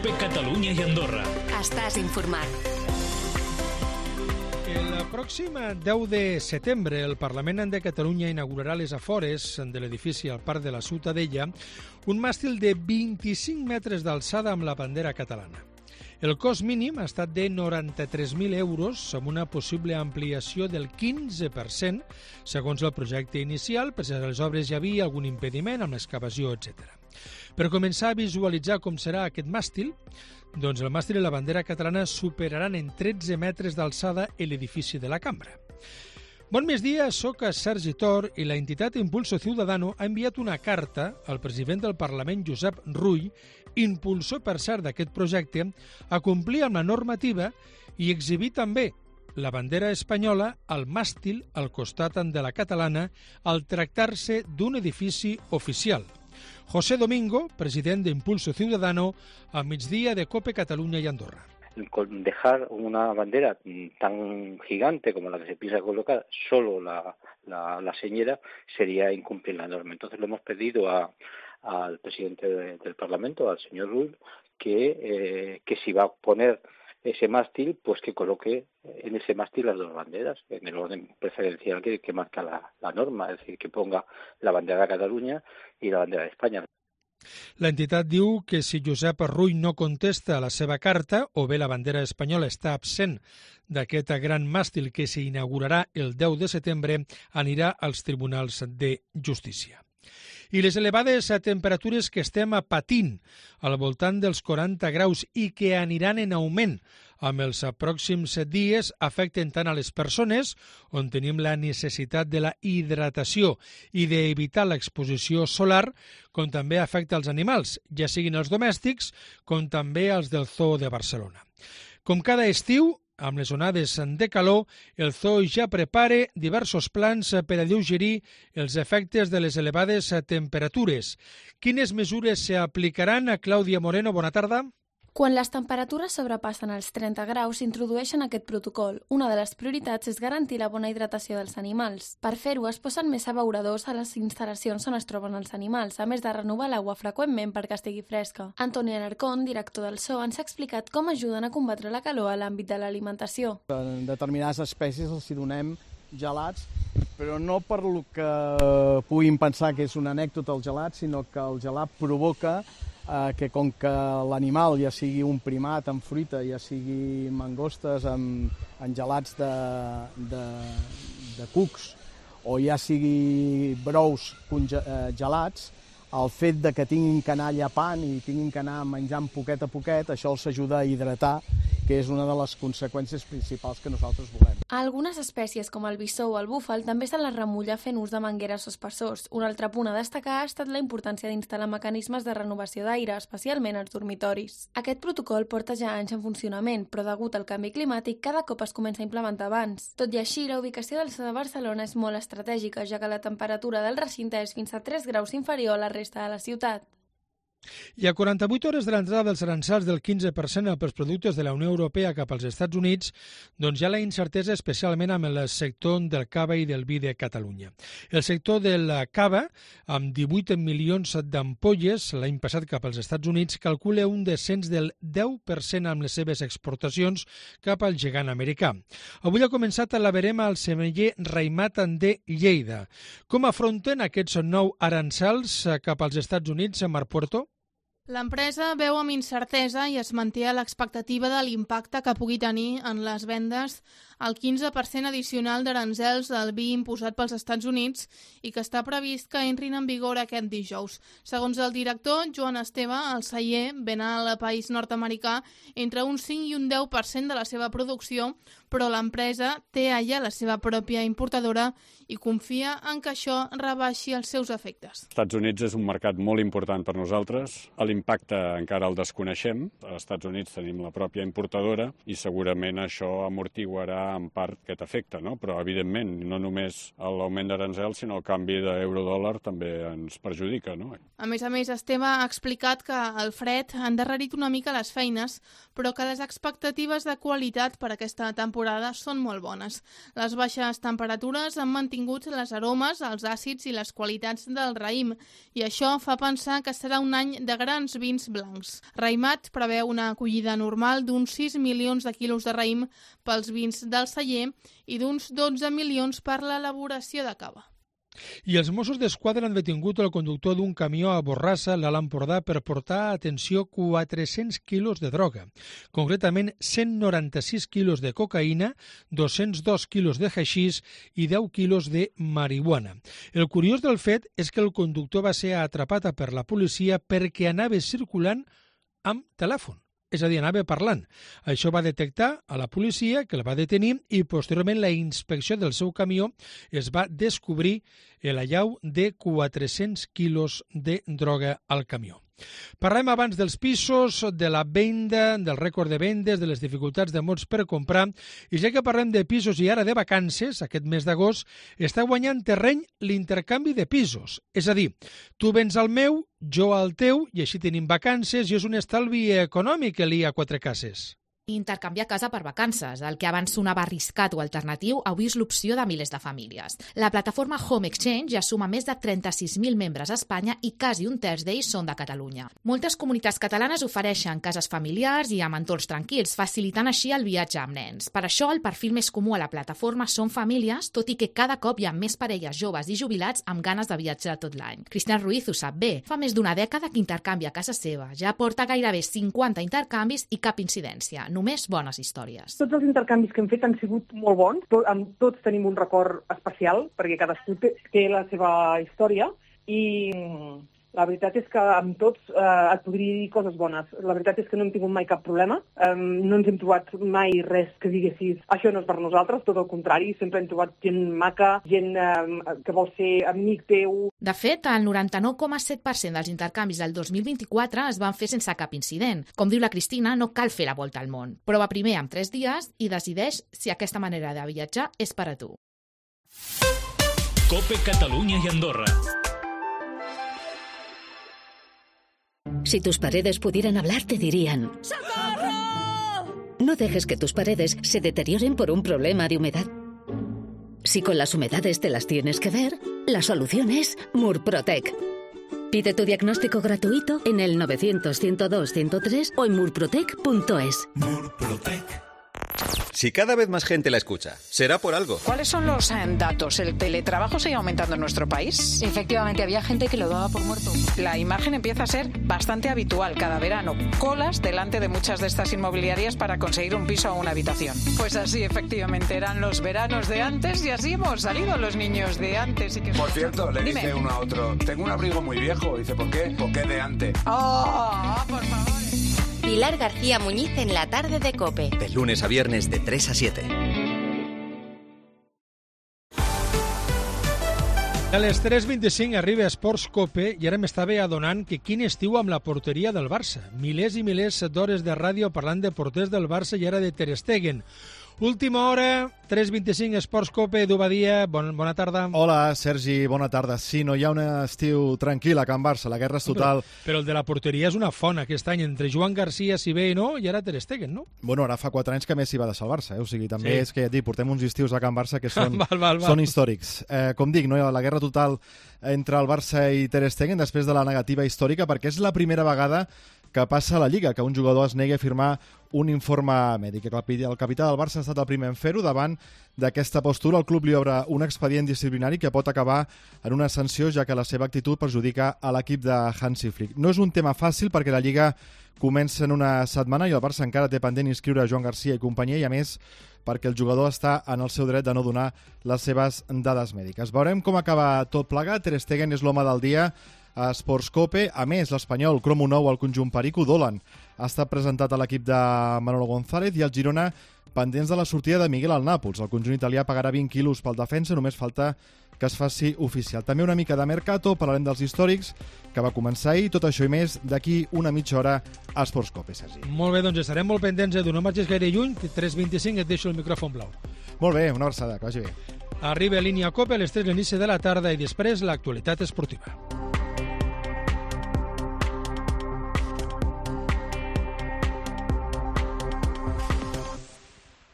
COPE Catalunya i Andorra. Estàs informat. El pròxim 10 de setembre el Parlament de Catalunya inaugurarà les afores de l'edifici al Parc de la Ciutadella un màstil de 25 metres d'alçada amb la bandera catalana. El cost mínim ha estat de 93.000 euros amb una possible ampliació del 15% segons el projecte inicial, per si a les obres hi havia algun impediment amb l'excavació, etc. Per començar a visualitzar com serà aquest màstil, doncs el màstil i la bandera catalana superaran en 13 metres d'alçada l'edifici de la Cambra. Bon migdia, soc Sergi Tor i la entitat Impulso Ciudadano ha enviat una carta al president del Parlament, Josep Rull, impulsor, per cert, d'aquest projecte, a complir amb la normativa i exhibir també la bandera espanyola al màstil al costat de la catalana al tractar-se d'un edifici oficial. José Domingo, president de Impulso Ciudadano, a migdia de COPE Catalunya i Andorra. Con dejar una bandera tan gigante como la que se piensa colocar, solo la señera, sería incumplir la norma. Entonces le hemos pedido al presidente del Parlamento, al señor Rull, que si va a poner ese mástil, pues que coloque en ese mástil las dos banderas, en el orden preferencial que marca la norma, es decir, que ponga la bandera de Cataluña y la bandera de España. L'entitat diu que si Josep Rull no contesta a la seva carta o bé la bandera espanyola està absent d'aquest gran màstil que s'inaugurarà el 10 de setembre, anirà als tribunals de justícia. I les elevades temperatures que estem patint al voltant dels 40 graus i que aniran en augment amb els pròxims dies afecten tant a les persones, on tenim la necessitat de la hidratació i d'evitar l'exposició solar, com també afecta als animals, ja siguin els domèstics com també els del Zoo de Barcelona. Com cada estiu, amb les onades de calor, el Zoo ja prepara diversos plans per alleugerir els efectes de les elevades temperatures. Quines mesures s'aplicaran? Clàudia Moreno, bona tarda. Quan les temperatures sobrepassen els 30 graus, s'introdueixen aquest protocol. Una de les prioritats és garantir la bona hidratació dels animals. Per fer-ho, es posen més abeuradors a les instal·lacions on es troben els animals, a més de renovar l'aigua freqüentment perquè estigui fresca. Antoni Alarcón, director del Zoo, ens ha explicat com ajuden a combatre la calor a l'àmbit de l'alimentació. En determinades espècies els donem gelats, però no per lo que puguin pensar que és una anècdota el gelat, sinó que el gelat provoca que com que l'animal, ja sigui un primat amb fruita, ja sigui mangostes amb gelats de cucs, o ja sigui brous gelats, el fet de que tinguin que anar llepant i tinguin que anar menjant poquet a poquet, això els ajuda a hidratar, que és una de les conseqüències principals que nosaltres volem. A algunes espècies, com el bisó o el búfal, també se les remulla fent ús de mangueres o espessors. Un altre punt a destacar ha estat la importància d'instal·lar mecanismes de renovació d'aire, especialment als dormitoris. Aquest protocol porta ja anys en funcionament, però degut al canvi climàtic cada cop es comença a implementar abans. Tot i així, la ubicació del Zoo de Barcelona és molt estratègica, ja que la temperatura del recinte és fins a 3 graus inferior a la resta de la ciutat. I a 48 hores de l'entrada dels aranzels del 15% pels productes de la Unió Europea cap als Estats Units, doncs hi ha la incertesa especialment amb el sector del cava i del vi de Catalunya. El sector del cava, amb 18 milions d'ampolles l'any passat cap als Estats Units, calcula un descens del 10% amb les seves exportacions cap al gegant americà. Avui ha començat la verema al semeller Raimat de Lleida. Com afronten aquests nous aranzels cap als Estats Units, Marc Puerto? L'empresa veu amb incertesa i es manté a l'expectativa de l'impacte que pugui tenir en les vendes el 15% addicional d'aranzels al vi imposat pels Estats Units i que està previst que entrin en vigor aquest dijous. Segons el director Joan Esteve, el celler ven al país nord-americà entre un 5 i un 10% de la seva producció, però l'empresa té allà la seva pròpia importadora i confia en que això rebaixi els seus efectes. Els Estats Units és un mercat molt important per nosaltres. L'impacte encara el desconeixem. Als Estats Units tenim la pròpia importadora i segurament això amortiguarà pal·liar en part aquest efecte, no? Però, evidentment, no només l'augment d'aranzels, sinó el canvi d'euro-dòlar també ens perjudica, no? A més, Esteve ha explicat que el fred ha endarrerit una mica les feines, però que les expectatives de qualitat per aquesta temporada són molt bones. Les baixes temperatures han mantingut les aromes, els àcids i les qualitats del raïm, i això fa pensar que serà un any de grans vins blancs. Raïmat preveu una acollida normal d'uns 6 milions de quilos de raïm pels vins del celler i d'uns 12 milions per l'elaboració de cava. I els Mossos d'Esquadra han detingut el conductor d'un camió a Borrassa, l'Alt Empordà, per portar, atenció, 400 quilos de droga. Concretament, 196 quilos de cocaïna, 202 quilos de haixís i 10 quilos de marihuana. El curiós del fet és que el conductor va ser atrapat per la policia perquè anava circulant amb telèfon. És a dir, anava parlant. Això va detectar a la policia, que el va detenir, i posteriorment la inspecció del seu camió es va descobrir l'allau de 400 quilos de droga al camió. Parlem abans dels pisos, de la venda, del rècord de vendes, de les dificultats de molts per comprar, i ja que parlem de pisos i ara de vacances, aquest mes d'agost, està guanyant terreny l'intercanvi de pisos. És a dir, tu vens al meu, jo al teu, i així tenim vacances, i és un estalvi econòmic el ir a quatre cases. Intercanviar casa per vacances. El que abans sonava arriscat o alternatiu, avui és l'opció de milers de famílies. La plataforma Home Exchange ja suma més de 36.000 membres a Espanya i quasi un terç d'ells són de Catalunya. Moltes comunitats catalanes ofereixen cases familiars i amb entorns tranquils, facilitant així el viatge amb nens. Per això, el perfil més comú a la plataforma són famílies, tot i que cada cop hi ha més parelles joves i jubilats amb ganes de viatjar tot l'any. Cristian Ruiz ho sap bé. Fa més d'una dècada que intercanvia a casa seva. Ja porta gairebé 50 intercanvis i cap incidència. Només bones històries. Tots els intercanvis que hem fet han sigut molt bons. Amb tots tenim un record especial, perquè cadascú té la seva història i la veritat és que amb tots et podria dir coses bones. La veritat és que no hem tingut mai cap problema. No ens hem trobat mai res que diguessis això no és per nosaltres, tot el contrari. Sempre hem trobat gent maca, gent que vol ser amic teu. De fet, el 99,7% dels intercanvis del 2024 es van fer sense cap incident. Com diu la Cristina, no cal fer la volta al món. Prova primer amb 3 dies i decideix si aquesta manera de viatjar és per a tu. COPE Catalunya y Andorra. Si tus paredes pudieran hablar, te dirían: ¡Socorro! No dejes que tus paredes se deterioren por un problema de humedad. Si con las humedades te las tienes que ver, la solución es Murprotec. Pide tu diagnóstico gratuito en el 900-102-103 o en murprotec.es. Murprotec. Si cada vez más gente la escucha, será por algo. ¿Cuáles son los datos? ¿El teletrabajo sigue aumentando en nuestro país? Efectivamente, había gente que lo daba por muerto. La imagen empieza a ser bastante habitual cada verano. Colas delante de muchas de estas inmobiliarias para conseguir un piso o una habitación. Pues así, efectivamente, eran los veranos de antes y así hemos salido los niños de antes. Por cierto, le dice uno a otro: tengo un abrigo muy viejo. Dice: ¿por qué? ¿Por qué de antes? ¡Oh, por favor! Pilar García Muñiz en la tarde de COPE. De lunes a viernes de 3 a 7. A les 3:25 arriba a Esports COPE i ara m'estava adonant que quin estiu amb la porteria del Barça. Milers i milers d'hores de ràdio parlant de porters del Barça i ara de Ter Stegen. Última hora, 3:25, Esports COPE, Edu Badia, bona tarda. Hola, Sergi, bona tarda. Sí, no hi ha un estiu tranquil a Can Barça, la guerra és total. Però el de la porteria és una font aquest any, entre Joan Garcia, si bé no, i ara Ter Stegen, no? Bueno, ara fa 4 anys que Messi va deixar el Barça, O sigui, també sí. És que ja et dic, portem uns estius a Can Barça que són, són històrics. Com dic, no hi ha la guerra total entre el Barça i Ter Stegen després de la negativa històrica, perquè és la primera vegada que passa a la Lliga, que un jugador es negui a firmar un informe mèdic. El capità del Barça ha estat el primer en fer-ho. Davant d'aquesta postura, el club li obre un expedient disciplinari que pot acabar en una sanció, ja que la seva actitud perjudica a l'equip de Hansi Flick. No és un tema fàcil perquè la Lliga comença en una setmana i el Barça encara té pendent inscriure Joan Garcia i companyia, i a més perquè el jugador està en el seu dret de no donar les seves dades mèdiques. Veurem com acaba tot plegat. Ter Stegen és l'home del dia a Esports COPE. A més, l'espanyol cromo nou al conjunt perico. Dolan ha estat presentat a l'equip de Manolo González i el Girona pendents de la sortida de Miguel al Nàpols. El conjunt italià pagarà 20 quilos pel defensa, només falta que es faci oficial. També una mica de mercato, parlarem dels històrics, que va començar ahir, tot això i més d'aquí una mitja hora a Esports COPE, Sergi. Molt bé, doncs estarem molt pendents, Edu, no marxis gaire lluny, 3:25 et deixo el micròfon blau. Molt bé, una abraçada, que vagi bé. Arriba a Línia Cope a les 3 l'inici de la tarda i després l'actualitat esportiva.